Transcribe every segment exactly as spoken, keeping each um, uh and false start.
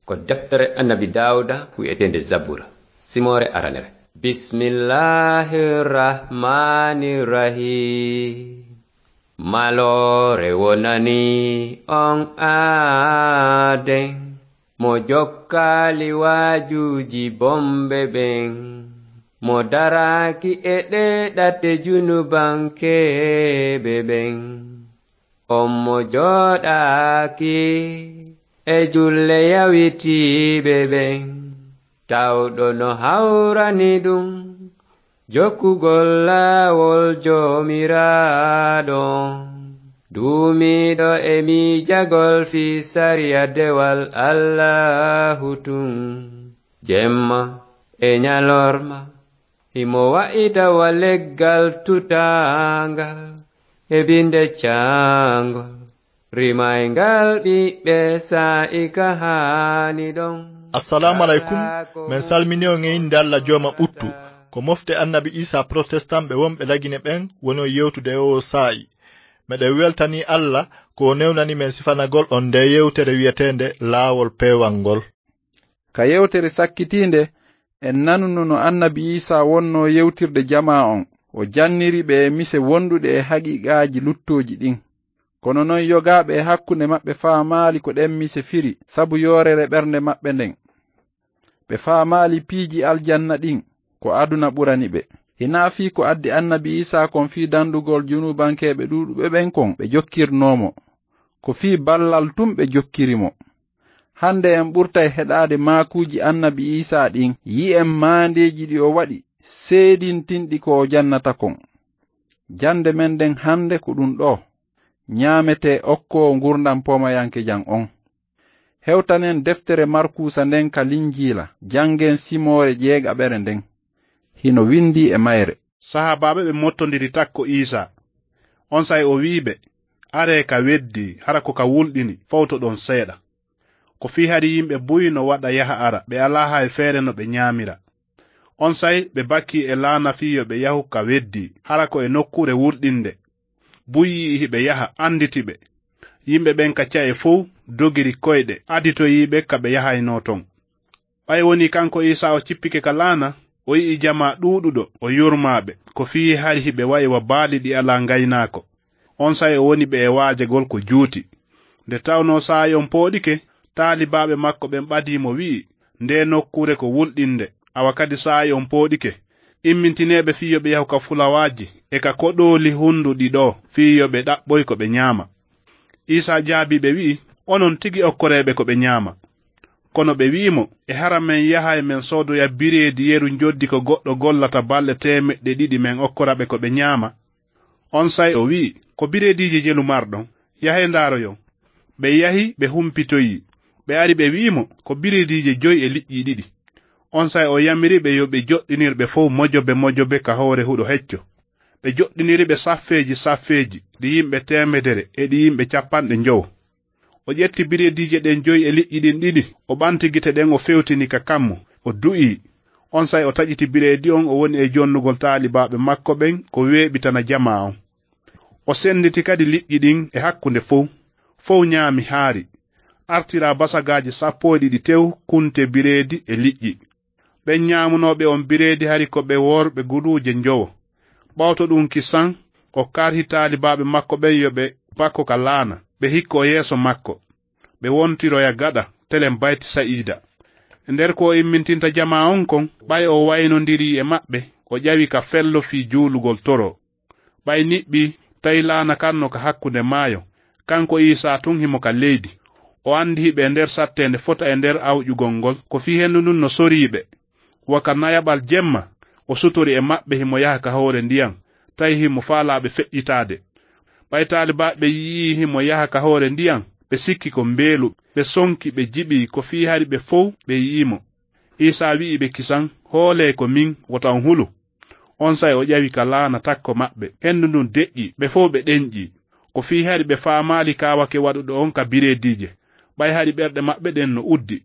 Ko deftere Annabi Daawuda wi'eteende Zabura, simoore aranere. Bismillahir Rahmanir Rahim. Maloore wonani on aaden, mo jokkaali waajuuji bomɓe ɓen, mo daraaki e ɗee ɗate junubankeeɓe ɓen. On mo jooɗaaki e julle yawitiiɓe ɓen, tawɗo no hawrani ɗum jokkugol laawol Joomiraaɗo on, duumiiɗo e miijagol fii sariya dewal Allaahu tun, jemma e ɲalorma. Himo wa'ita wa leggal tutaangal e binde caangol, rimayngal ɓiɓɓe saa'i ka haani ɗon. Assalaamu aleykum. Men salmini on e innde Alla Jooma ɓuttu. Ko mofte Annabi Iisaa Protestant ɓe wonɓe Lagine ɓen woni on yewtude e oo saa'i. Meɗen weltanii Alla ko o newnani men sifanagol on ndee yewtere wi'eteende Laawol Peewal ngol. Ka yewtere sakkitiinde, en nanuno no Annabi Iisaa wonnoo yewtirde jamaa on. O janniri ɓe e mise wonduɗe e haqiiqaaji luttooji ɗin. Kono non yogaaɓe e hakkunde maɓɓe faamaali ko ɗen mise firi sabu yoorere ɓernde maɓɓe nden. Ɓe faamaali piiji aljanna ɗin ko aduna ɓurani ɓe. Hinaa fii ko addi Annabi Iisaa kon fii dandugol junubankeeɓe ɗuuɗuɓe ɓen kon ɓe jokkirnoo mo. Ko fii ballal tun ɓe jokkiri mo. Hande en ɓurtay heɗaade maakuuji Annabi Iisaa ɗin, yi'en maandeeji ɗi o waɗi, seedintinɗi ko o jannata kon. Jannde men nden hande ko ɗun ɗoo: Ɲaametee okkoowo ngurndan poomayankejan on. Hewtanen deftere Markuusa nden ka Linjiila, janngen simoore jeegaɓere nden. Hino windii e mayre. Sahaabaaɓe ɓe mottondiri takko Iisaa. Onsay o wi'i ɓe, "Aree ka weddii, hara ko ka wulɗini, fowtoɗon seeɗa." Ko fii hari yimɓe buy no waɗa yaha ara, ɓe alaa hay feere no ɓe ɲaamira. Onsay ɓe bakii e laana fii yo ɓe yahu ka weddii, hara ko e nokkuure wulɗinde. Buy yi'i hiɓe yaha, anditi ɓe. Yimɓe ɓen ka ca'e fow dogiri koyɗe, aditoyii ɓe ka ɓe yahaynoo ton. Ɓay wonii kanko Iisaa o cippike ka laana, o yi'i jamaa ɗuuɗuɗo, o yurmaa ɓe, ko fii hari hiɓe wa'i wa baali ɗi alaa ngaynaako. Onsay o woni ɓe e waajagol ko juuti. Nde tawnoo saa'i on pooɗike, taalibaaɓe makko ɓen ɓadii mo, wi'i, "Ndee nokkuure ko wulɗinde, awa kadi saa'i on pooɗike. Immintinee ɓe fii yo ɓe yahu ka fulawaaji e ka koɗooli hunduɗi ɗoo, fii yo ɓe ɗaɓɓoy ko ɓe ɲaama." Iisaa jaabii ɓe, wi'i, "Onon tigi okkoree ɓe ko ɓe ɲaama." Kono ɓe wi'i mo, "E hara men yahay men soodoya bireedi yeru njoddi ko goɗɗo gollata balɗe teemeɗɗe ɗiɗi men okkora ɓe ko ɓe ɲaama?" Onsay o wi'i, "Ko bireediije jelu marɗon, yahee ndaaroyon." Ɓe yahi, ɓe humpitoyi. Ɓe ari, ɓe wi'i mo, "Ko bireediije joy e liƴƴi ɗiɗi." Onsay o yamiri ɓe yo ɓe joɗɗinir ɓe fow mojobe mojobe ka hoore huɗo hecco. Ɓe joɗɗiniri ɓe saffeeji saffeeji, ɗi yimɓe teemedere e ɗi yimɓe capanɗe njowo. O ƴetti bireediije ɗen joy e liƴƴi ɗin ɗiɗi, o ɓanti gite ɗen, o fewtini ka kammu, o du'ii. Onsay o taƴiti bireedi on, o woni e jonnugol taalibaaɓe makko ɓen ko weeɓitana jamaa on. O senditi kadi liƴƴi ɗin e hakkunde fow. Fow ɲaami haari. Artiraa basagaaji sappo e ɗiɗi tew kunte bireedi e liƴƴi. Ɓen ɲaamunooɓe on bireedi hari ko ɓe worɓe guluuje njowo. Ɓawto ɗun kisan, o karhi taalibaaɓe makko ɓen yo ɓe bakko ka laana, ɓe hikko yeeso makko. Ɓe wontiroya gaɗa telen Bayti Sa'iida. E nder ko o immintinta jamaa on kon, ɓay o waynondirii e maɓɓe, o ƴawi ka fello fii juulugol toro. Ɓay niɓɓii, tawi laana kan no ka hakkunde maayo, kanko Iisaa tun himo ka leydi. O andi hiɓe e nder satteende fota e nder awƴugol ngol, ko fii hendu ndun no sorii ɓe. Wa ka nayaɓal jemma, o sutori e maɓɓe himo yaha ka hoore ndiyan, tawi himo faalaa ɓe feƴƴitaade. Ɓay taalibaaɓe ɓen yi'ii himo yaha ka hoore ndiyan, ɓe sikki ko mbeelu, ɓe sonki, ɓe jiɓii, ko fii hari ɓe fow ɓe yi'ii mo. Iisaa wi'i ɓe kisan, "Hoolee ko min, wota on hulu." Onsay o ƴawi ka laana takko maɓɓe. Hendu ndun deƴƴi, ɓe fow ɓe ɗenƴi. Ko fii hari ɓe faamaali kaawake waɗuɗo on ka bireediije, ɓay hari ɓerɗe maɓɓe ɗen no uddi.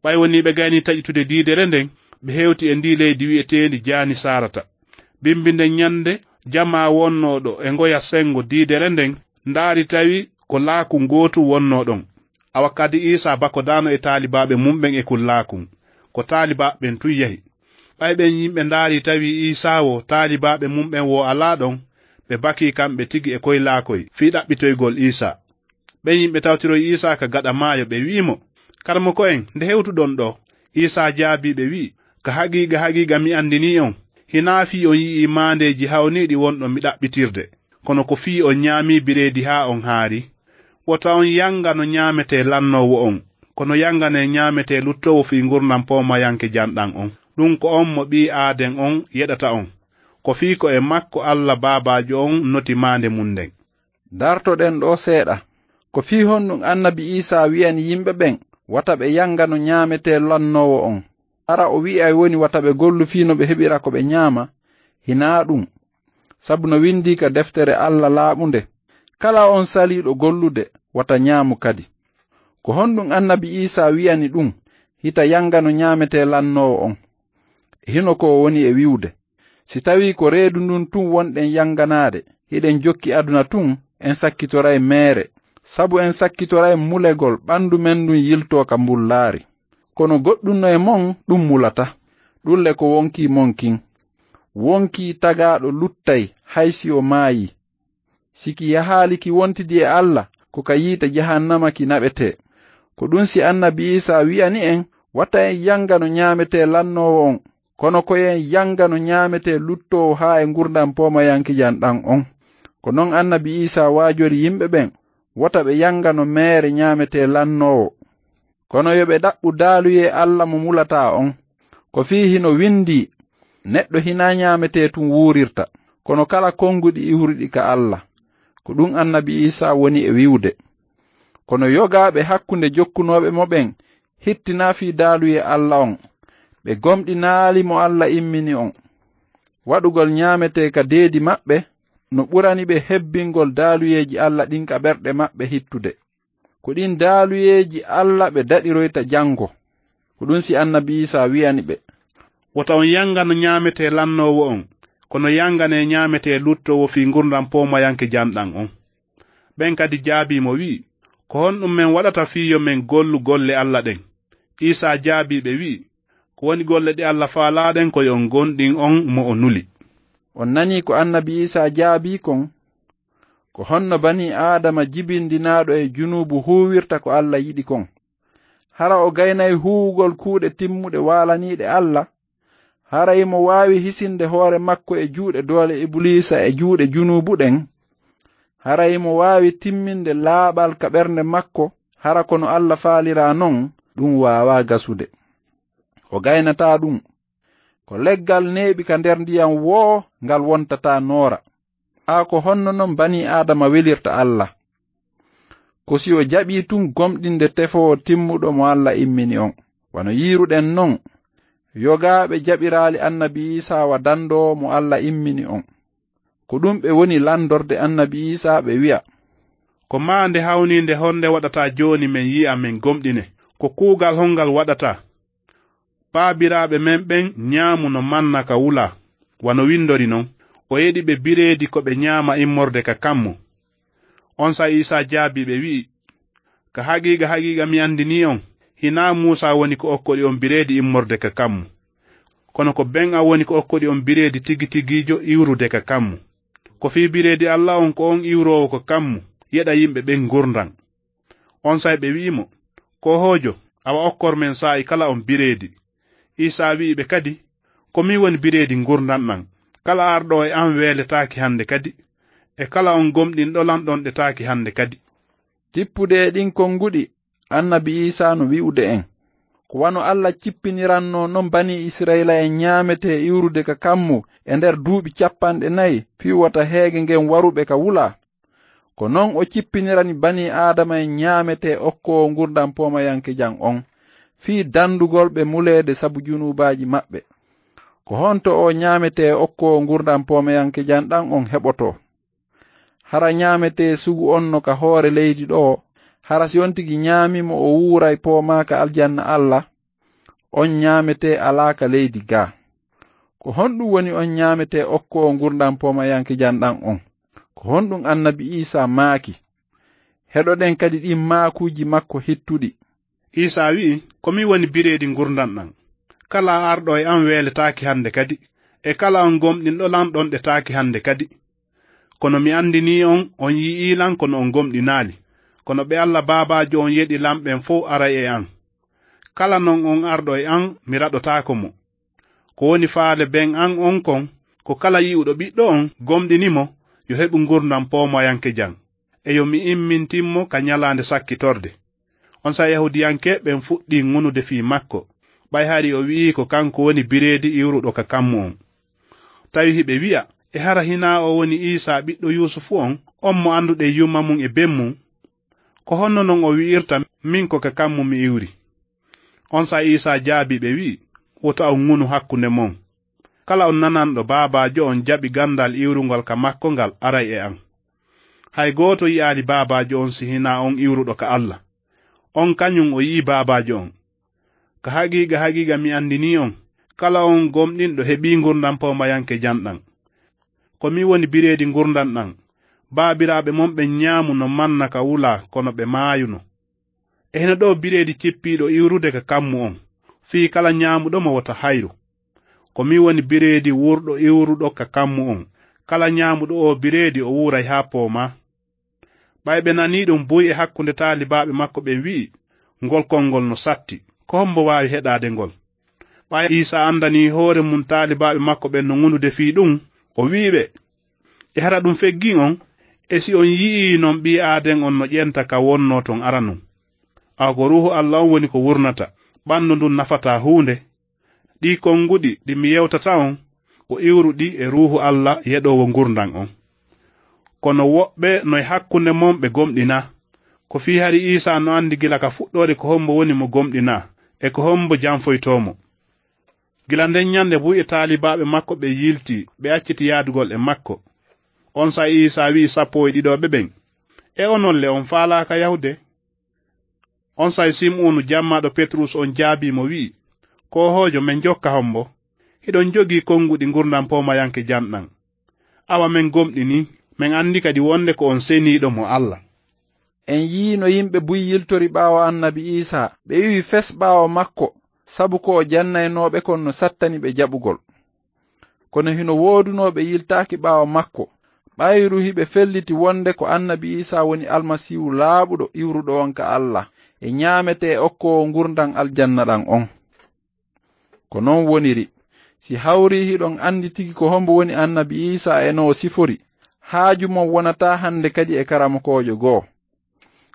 Ɓay wonii ɓe gayni taƴitude diidere nden, ɓe hewti e ndii leydi wi'eteendi Jaanisarata. Bimbi nden ɲande, jamaa wonnooɗo e ngoya sengo diidere nden ndaari, tawi ko laaku ngootu wonnoo ɗon. Awa kadi Iisaa bakodaano e taalibaaɓe mum'en e kullaakun. Ko taalibaaɓe ɓen tun yahi. Ɓay ɓen yimɓe ndaarii tawi Iisaa wo, taalibaaɓe mum'en wo alaa ɗon, ɓe bakii kamɓe tigi e koylaakoy fii ɗaɓɓitoygol Iisaa. Ɓen yimɓe tawtiroyi Iisaa ka gaɗa maayo, ɓe wi'i mo, "Karamoko'en, nde hewtuɗon ɗoo?" Iisaa jaabii ɓe wi'i, "Ka haqiiqa, haqiiqa mi andinii on, hinaa fii on yi'ii maandeeji hawniiɗi wonɗon mi ɗaɓɓitirde, kono ko fii on ñaamii bireedi haa on haari. Wota on yanga no ñaametee lannoowo on, kono yanganee ñaametee luttoowo fii ngurndan poomayanke janɗan on. Ɗun ko on mo ɓii aaden on yeɗata on. Ko fii ko e makko Alla Baabaajo on noti maande mun nden." Dartoɗen ɗoo seeɗa. Ko fii honɗun annabi Iisaa wi'ani yimɓe ɓen wata ɓe yanga no ñaametee lannoowo on? Hara o wi'ay woni wata ɓe gollu fii no ɓe heɓira ko ɓe ñaama? Hinaa ɗun. Sabu no windii ka deftere Alla laaɓunde, "Kala on saliiɗo gollude, wata ñaamu kadi." Ko honɗun annabi Iisaa wi'ani ɗun, hita yanga no ñaametee lannoowo on? E hino ko o woni e wi'ude. Si tawii ko reedu ndun tun wonɗen yanganaade, hiɗen jokki aduna tun, en sakkitoray meere, sabu en sakkitoray mulegol ɓandu men ndun yiltoo ka mbullaari. Kono goɗɗun no e mon ɗun mulata, ɗun le ko wonkii mon kin. Wonkii tagaaɗo luttay hay si o maayii. Si ki yahaali ki wontidi e Alla, ko ka yiite jahannama ki naɓetee. Ko ɗun si annabi Iisaa wi'ani en, wata en yanga no ñaametee lannoowo on, kono ko en yanga no ñaametee luttoowo haa e ngurndan poomayankijan ɗan on. Ko non annabi Iisaa waajori yimɓe ɓen, wota ɓe yanga no meere ñaametee lannoowo. Kono yo ɓe ɗaɓɓu daaluyee Alla mo mulataa on. Ko fii hino windii, "Neɗɗo hinaa ñaametee tun wuurirta, kono kala konguɗi iwruɗi ka Alla." Ko ɗun annabi Iisaa woni e wi'ude. Kono yogaaɓe hakkunde jokkunooɓe mo ɓen hittinaa fii daaluyee Alla on. Ɓe gomɗinaali mo Alla immini on. Waɗugol ñaametee ka deedi maɓɓe no ɓurani ɓe hebbingol daaluyeeji Alla ɗin ka ɓerɗe maɓɓe hittude. Ko ɗin daaluyeeji Alla ɓe daɗiroyta jango. Ko ɗun si annabi Iisaa wi'ani ɓe, "Wota on yanga no ñaametee lannoowo on, kono yanganee ñaametee luttoowo fii ngurndan poomayanke janɗan on." Ɓen kadi jaabii mo wi'i, "Ko honɗun men waɗata fii yo men gollu golle Alla ɗen?" Iisaa jaabii ɓe wi'i, "Ko woni golle ɗe Alla faalaa ɗen? Ko yo on gomɗin on mo o nuli." On nanii ko annabi Iisaa jaabii kon? Ko honno banii Aadama jibindinaaɗo e junuubu huuwirta ko Alla yiɗi kon? Hara o gaynay huuwugol kuuɗe timmuɗe waalaniiɗe Alla? Hara himo waawi hisinde hoore makko e juuɗe doole Ibuliisa e juuɗe junuubu ɗen? Hara himo waawi timminde laaɓal ka ɓernde makko, hara ko no Alla faaliraa non? Ɗun waawaa gasude. O gaynataa ɗun. Ko leggal neeɓi ka nder ndiyan woo ngal wontataa noora. Aa, ko honno non banii Aadama welirta Alla? Ko si o jaɓii tun gomɗinde tefoowo timmuɗo mo Alla immini on. Wano yiiruɗen non, yogaaɓe jaɓiraali annabi Iisaa wa dandoowo mo Alla immini on. Ko ɗun ɓe woni landorde annabi Iisaa, ɓe wi'a, "Ko maande hawniinde honde waɗata jooni men yi'a men gomɗine? Ko kuugal hongal waɗata? Baabiraaɓe men ɓen ñaamuno manna ka wulaa, wano windori non, 'O yeɗi ɓe bireedi ko ɓe ñaama immorde ka kammu.'" Onsay Iisaa jaabii ɓe, wi'i, "Ka haqiiqa, haqiiqa, mi andinii on, hinaa Muusaa woni ko okkori on bireedi immorde ka kammu, kono ko ben an woni ko okkori on bireedi tigi tigiijo iwrude ka kammu. Ko fii bireedi Alla on, ko on iwroowo ka kammu, yeɗa yimɓe ɓen ngurndan." Onsay ɓe wi'i mo, "Koohoojo, awa okkor men saa'i kala on bireedi." Iisaa wi'i ɓe kadi, "Ko min woni bireedi ngurndan ɗan. Kala arɗo e an weeletaaki hande kadi, e kala on gomɗinɗo lan ɗonɗetaaki hande kadi." Tippude e ɗin konguɗi, annabi Iisaa no wi'ude en, ko wano Alla cippinirannoo non banii Isra'iila'en ñaametee iwrude ka kammu e nder duuɓi cappanɗe nayi fii wota heege ngen waruɓe ka wulaa. Ko non o cippinirani banii Aadama en ñaametee okkoowo ngurndan poomayankejan on, fii dandugol ɓe muleede sabu junuubaaji maɓɓe. Ko honto oo ñaametee okkoowo ngurndan poomayankejan ɗan on heɓotoo? Hara ñaametee sugu on no ka hoore leydi ɗoo? Hara si on tigi ñaamii mo o wuuray poomaa ka aljanna Alla? On ñaametee alaa ka leydi gaa. Ko honɗun woni on ñaametee okkoowo ngurndan poomayankejan ɗan on? Ko honɗun annabi Iisaa maaki? Heɗoɗen kadi ɗin maakuuji makko hittuɗi. Iisaa wi'i, "Ko min woni bireedi ngurndan ɗan. Kala arɗo e an weeletaake hande kadi, e kala on gomɗinɗo lan ɗonɗetaake hande kadi. Kono mi andinii on, on yi'ii lan kono on gomɗinaali. Kono ɓe Alla Baabaajo on yeɗi lan ɓen fow aray e an. Kala non on arɗo e an, mi raɗotaako mo. Ko woni faale ben an on kon, ko kala yi'uɗo ɓiɗɗo on, gomɗini mo, yo heɓu ngurndan poomayankejan. E yo mi immintin mo ka ɲalaande sakkitorde." Onsay Yahuudiyankeeɓe ɓen fuɗɗii ŋunude fii makko, ɓay hari o wi'ii ko kanko woni bireedi iwruɗo ka kammu on. Tawi hiɓe wi'a, "E hara hinaa o woni Iisaa ɓiɗɗo Yuusufu on, on mo annduɗen yumma mun e ben mun? Ko honno non o wi'irta, 'Min ko ka kammu mi iwri'?" Onsay Iisaa jaabii ɓe wi'i, "Wota on ŋunu hakkunde mon. Kala on nananɗo Baabaajo on jaɓi gandal iwrungol ka makko ngal aray e an. Hay gooto yi'aali Baabaajo on si hinaa on iwruɗo ka Alla. On kaɲun o yi'ii Baabaajo on. Ka haqiiqa, haqiiqa mi andinii on, kala on gomɗinɗo heɓii ngurndan poomayankejan ɗan. Ko min woni bireedi ngurndan ɗan. Baabiraaɓe mon ɓen ɲaamuno manna ka wulaa, kono ɓe maayuno. E hino ɗoo bireedi cippiiɗo iwrude ka kammu on, fii kala ɲaamuɗo mo wota hayru. Ko min woni bireedi wurɗo iwruɗo ka kammu on. Kala ɲaamuɗo oo bireedi o wuuray haa poomaa." Ɓay ɓe nanii ɗun, buy e hakkunde taalibaaɓe makko ɓen wi'i, "Ngol konngol no satti. Ko hombo waawi heɗaade ngol?" Ɓay Iisaa andanii hoore mun taalibaaɓe makko ɓen no ŋunude fii ɗun, o wi'i ɓe, "E hara ɗun feggii on? E si on yi'ii non ɓii Aaden on no ƴenta ka wonnoo ton aranun? Awa ko Ruuhu Alla on woni ko wurnata, ɓandu ndun nafataa huunde. Ɗii konguɗi ɗi mi yewtata on, ko iwruɗi e Ruuhu Alla yeɗoowo ngurndan on. Kono woɓɓe no e hakkunde mon ɓe gomɗinaa. Ko fii hari Iisaa no andi gila ka fuɗɗoode ko hombo woni mo gomɗinaa, e ko hombo janfoytoo mo." Gila nden ɲande buy e taalibaaɓe makko ɓen yiltii, ɓe acciti yaadugol e makko. Onsay Iisaa wi'i sappo e ɗiɗooɓe ɓen, "E onon le, on faalaaka yahude?" Onsay Sim'uunu jammaaɗo Petrus on jaabii mo wi'i, "Koohoojo, men jokka hombo? Hiɗon jogii konguɗi ngurndan poomayankejan ɗan. Awa men gomɗinii, men andi kadi wonde ko on seniiɗo mo Alla." En yi'ii no yimɓe buy yiltori ɓaawo annabi Iisaa, ɓe iwi fes ɓaawo makko, sabu ko o jannaynoo ɓe kon no sattani ɓe jaɓugol. Kono hino woodunoo ɓe yiltaaki ɓaawo makko, ɓayru hiɓe felliti wonde ko annabi Iisaa woni Almasiihu laaɓuɗo iwruɗo on ka Alla, e ɲaametee okkoowo ngurndan aljanna ɗan on. Ko non woniri, si hawrii hiɗon andi tigi ko hombo woni annabi Iisaa e no o sifori, haaju mon wonataa hande kadi e karamokoojo goo.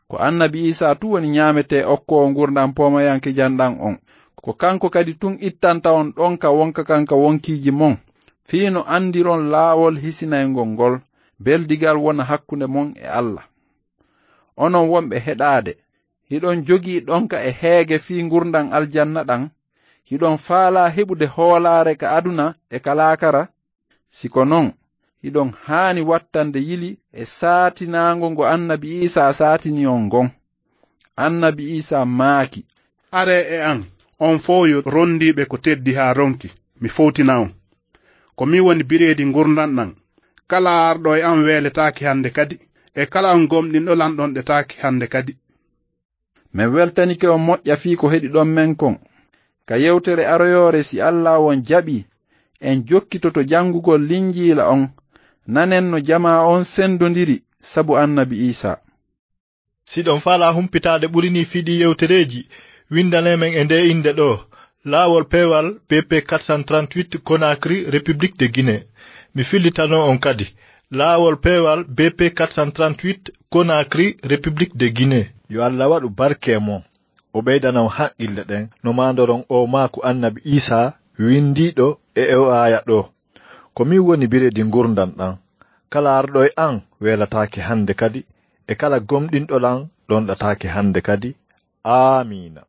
Ko annabi Iisaa tun woni ɲaametee okkoowo ngurndan poomayankejan ɗan on. Ko kanko kadi tun ittanta on ɗonka wonka kan ka wonkiiji mon, fii no andiron laawol hisinayngol ngol, beldigal wona hakkunde mon e Alla. Onon wonɓe heɗaade, hiɗon jogii ɗonka e heege fii ngurndan aljanna ɗan? Hiɗon faalaa heɓude hoolaare ka aduna e ka laakara? Si ko non, hiɗon haani wattande yili e saatinaango ngo annabi Iisaa saatini on ngon. Annabi Iisaa maaki, "Aree e an, on fow yo rondiiɓe ko teddi haa ronki, mi fowtina on. Ko min woni bireedi ngurndan ɗan. Kala arɗo e an weeletaake hande kadi, e kala on gomɗinɗo lan ɗonɗetaake hande kadi." Men weltanike on moƴƴa fii ko heɗiɗon men kon. Ka yewtere aroyoore, si Allaahu on jaɓii, en jokkitoto janngugol Linjiila on, nanen no jamaa on sendondiri sabu annabi Iisaa. Si ɗon faalaa humpitaade ɓuri nii fii ɗii yewtereeji, winndanee men e ndee innde ɗoo, Laawol Peewal B P quatre cent trente-huit, Conakry, République de Guinée. Mi fillitanoo on kadi, Laawol Peewal B P quatre cent trente-huit, Conakry, République de Guinée. Yo Alla waɗu barke e mon, o ɓeydana on haqqille ɗen no maandoron oo maaku annabi Iisaa winndiiɗo e oo aaya ɗoo. Ko min woni bireedi ngurndan ɗan. Kala arɗo e an weelataake hande kadi, e kala gomɗinɗo lan ɗonɗataake hande kadi. Aamiina.